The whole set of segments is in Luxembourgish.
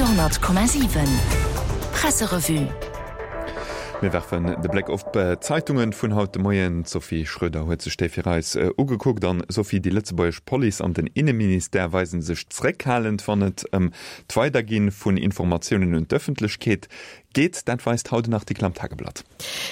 Radio,7 Presserevue. Mir werfen de Bléck op d'Zeitungen vun haut de Moien. D'Sophie Schröder huet sech déi fir eis ugekuckt. An Sophie, déi lëtzebuergesch Police an den Inneministère weise sech zréckhalend, wann et ëm d'Weidergi vun Informatiounen un d'Ëffentlechkeet geet. Dat weist haut en Artikel am Tageblatt.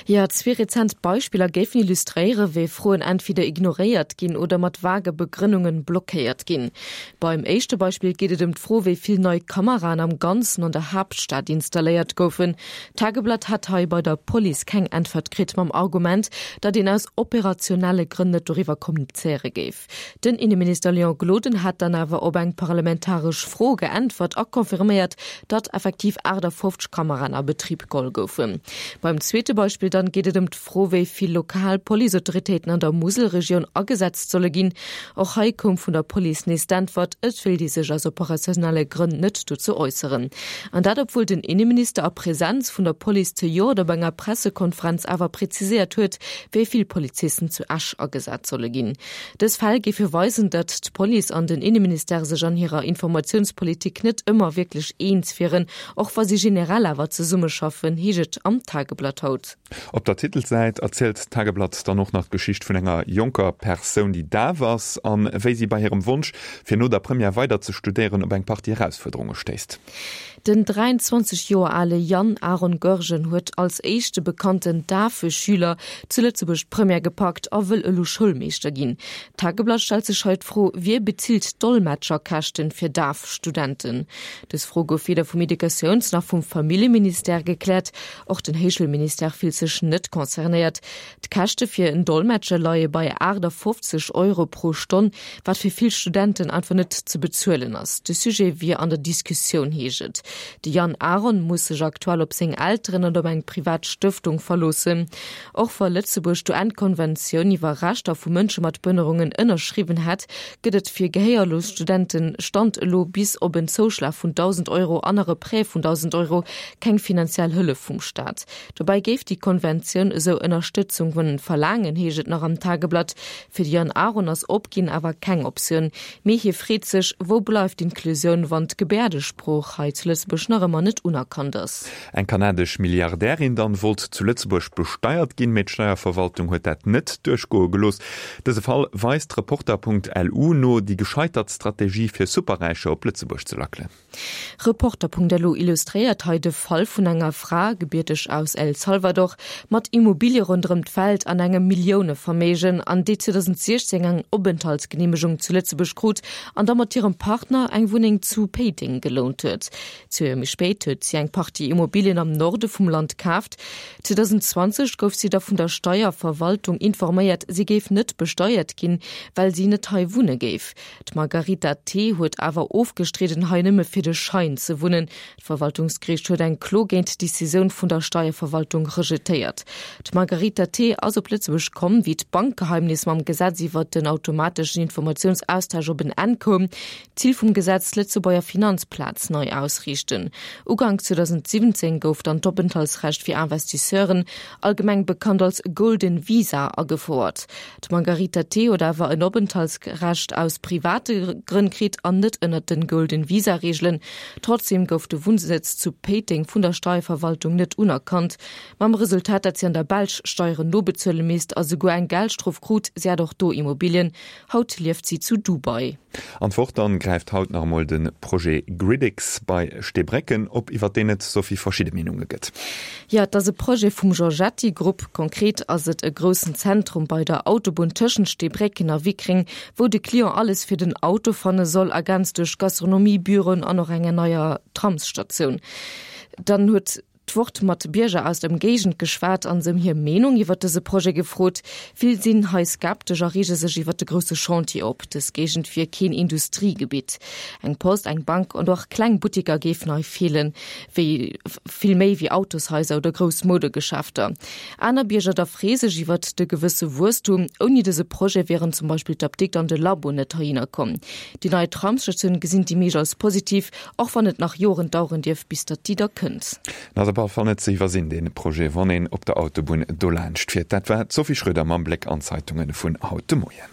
Jo, zwee rezent Beispiller géifen illustréieren, wéi Froen entweder ignoréiert ginn oder mat vage Begrënnungen blockéiert ginn. Beim éischte Beispill geet et ëm d'Fro, wéi vill nei Kameraen am Ganzen an der Haaptstad installéiert goufen. D'Tageblatt hat hei bei der Police keng Äntwert kritt, mam Argument, datt een aus operationelle Grënn net doriwwer kommunizéiere géif. Den Inneminister Léon Gloden hat dann awer op eng parlamentaresch Fro geäntwert a confirméiert, datt effektiv 58 Kameraen a Betrib geholl goufen. Beim zweete Beispill dann geet et ëm d'Fro, wéi vill lokal Policeautoritéiten an der Muselregioun agesetzt solle ginn. Och hei koum vun der Police nees d'Äntwert, et wéilt ee sech aus operationelle Grënn net dozou äusseren. An dat obwuel den Inneminister a Presenz vun der Police zejoert op enger Pressekonferenz awer präziséiert huet, wéi vill Polizisten zu Esch agesat solle ginn. Dës Fäll géife weisen, datt d'Police an den Inneministère sech an hirer Informatiounspolitik net ëmmer wierklech eens wieren, och wa si generell awer zesummeschaffen, heescht et am Tageblatt haut. Op der Titelsäit erzielt d'Tageblatt dann och nach d'Geschicht vun enger jonker Persoun, déi daf ass an wéi si bei hirem Wonsch, fir no der Première weider ze studéieren, op eng Partie Erausfuerderunge stéisst. Den 23 Joer ale Yann Aaron Goergen huet als éischte bekannten dafe Schüler zu Lëtzebuerg d'Première gepackt a wëll elo Schoulmeeschter ginn. D'Tageblatt stellt sech hei d'Fro, Wie bezilt d'Dolmetscherkäschten fir daf Studenten? Dës Fro gouf weder vum Educatiouns nach vum Familljeministère gekläert. Och den Héichschoulministère fillt sech net concernéiert. D'Käschte fir en Dolmetscher leie bei 58 Euro pro Stonn, wat fir vill Studenten einfach net ze bezuelen ass. De Sujet wier an der Diskussioun, heescht et. De Yann Aaron muss sech aktuell op seng Elteren an op eng privat Stëftung verloossen. Och wa Lëtzebuerg d'UN-Konventioun iwwer Rechter vu Mënsche mat Behënnerungen ënnerschriwwen hätt, gëtt et fir gehéierlos Studenten Stand elo bis op en Zouschlag vun 1.000 Euro an nach e Prêt vun 1.000 Euro keng finanziell Hëllef vum Staat. Dobäi géif déi Konventioun esou Ënnerstëtzung verlaangen, heescht et nach am Tageblatt. Fir de Yann Aron ass Opginn awer keng Optioun, mee hie freet sech, Wou bleift d'Inklusioun, wann d'Gebäerdesprooch hei zu Lëtzebuerg nach ëmmer net unerkannt ass? Eng kanadesch Milliardärin dann wollt zu Lëtzebuerg besteiert ginn, mee d'Steierverwaltung huet dat net duerchgoe gelooss. Dëse Fall weist Reporter.lu no déi gescheitert Strategie fir Superräicher op Lëtzebuerg ze lackelen. Reporter.lu illustréiert hei de Fall vun enger Fra, gebierteg aus El Salvador, mat Immobilie ronderëm d'Welt an engem Milliouneverméigen, an déi 2016 eng Openthaltsgeneemegung zu Lëtzebuerg krut an da mat hirem Partner eng Wunneng zu Péiteng gelount huet. Zwee Joer méi spéit huet si eng Partie Immobilien am Norde vum Land kaaft. 2020 gouf si da vun der Steierverwaltung informéiert, si géif net besteiert ginn, well si net hei wunne géif. D'Margarita T. huet awer ofgestridden, hei nëmme fir de Schein ze wunnen. D'Verwaltungsgeriicht huet eng Klo géint d'Decisioun vun der Steierverwaltung rejetéiert. D'Margarita T. ass op Lëtzebuerg komm, wéi d'Bankgeheimnis mam Gesetz iwwert den automateschen Informatiounsaustausch op en Enn koum. Zil vum Gesetz, d'Lëtzebuerger Finanzplaz nei ausriichten. Ugank 2017 gouf dann d'Openthaltsrecht fir Investisseuren, allgemeng bekannt als Golden Visa, agefouert. D'Margarita T. huet awer en Openthaltsrecht aus private Grënn kritt an net ënnert den Golden Visa Reegelen. Trotzdeem gouf de Wunnsëtz zu Péiteng vun der Steierverwaltung net unerkannt, mam Resultat, dat si an der Belsch Steieren nobezuele misst a souguer eng Geldstrof krut. Si hat och do Immobilien. Haut lieft si zu Dubai. An d'Wort dann gräift haut nach emol de Projet Gridix bei Steebrécken op, iwwer deen et Sophie verschidde Meenunge gëtt. Jo, et ass e Projet vum Giorgetti Group. Konkret ass et e groussen Zentrum bei der Autobunn tëschent Steebrécken a Wickreng, wou de Client alles fir den Auto fanne soll, ergänzt duerch Gastronomie, Büroen an och enger neier Tramsstatioun. Dann huet. D'Wort mat Bierger aus der Ëmgéigend geschwat an se ëm hir Meenung iwwer dëse Projet gefrot. Vill sinn hei skeptesch a reege sech iwwer de grousse Chantier op. Dës Géigend wier keen Industriegebitt. Eng Post, eng Bank an och kleng Buttiker géifen hei feelen, wéi vill méi wéi Autoshaiser oder grouss Moudegeschäfter. Aner Bierger da free sech iwwer de gewësse Wuesstum. Ouni dëse Projet wieren zum Beispill d'Apdikt an de Labo net heihinner komm. Déi nei Tramsstatioun gesinn déi meescht als positiv. Och wann et nach Joren daueren dierf, bis datt déi da kënnt. En ass op alle Fall net ze iwwersinn, dee Projet, wann een op der Autobunn dolaanscht fiert. Dat war d'Sophie Schröder mam Bléck an d'Zeitunge vun haut de Moien.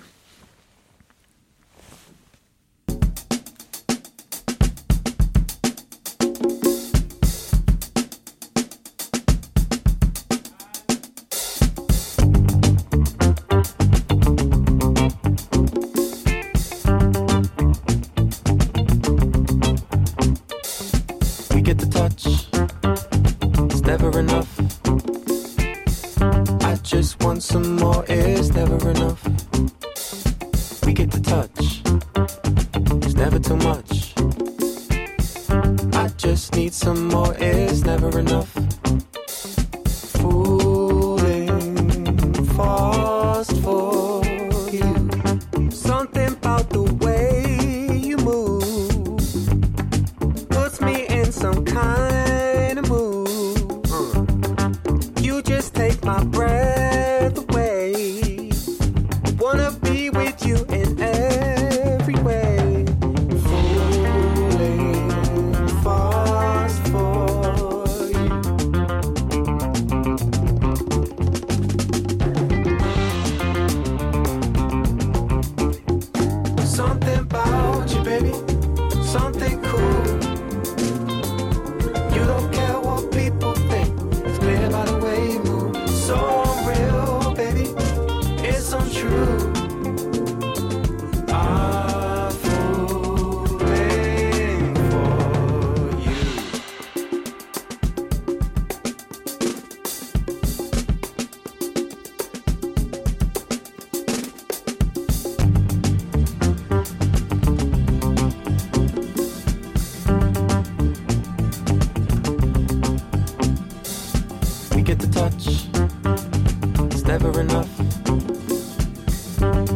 get the touch. It's never enough. I just want some more, it's never enough. We get the touch. It's never too much. I just need some more, it's never enough. Fooling fast for you. Something about the way you move puts me in some kind of mood. Uh. You just take my breath away. Wanna be with you in every way. Fooling fast for you. Something about you, baby. Something cool. You don't care what people think. It's clear by the way you move. So unreal, baby. It's untrue. I'm falling for you. We get the touch. It's never enough.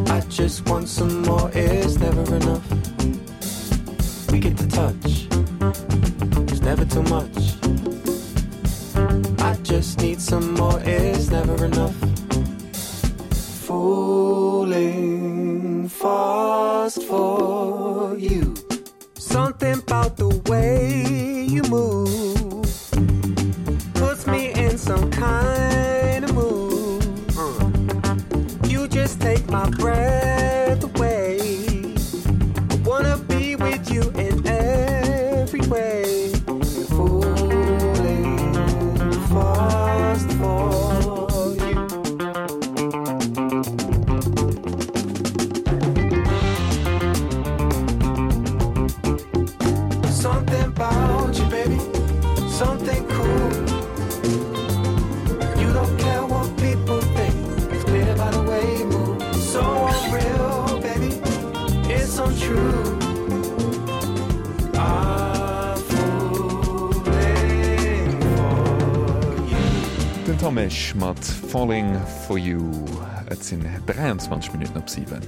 I just want some more, it's never enough. We get the touch. It's never too much. I just need some more, it's never enough. Falling fast for you. Something about the way you move puts me in some kind of mood. Uh. You just take my breath away. I wanna be with you in every way. Falling fast for you. Something about you, baby. Something cool. You don't care what people think. It's clear by the way you move. So unreal, baby. It's untrue. I'm falling for you. Den Tomesch mat Falling for You. Et sinn 23 Minutten op 7.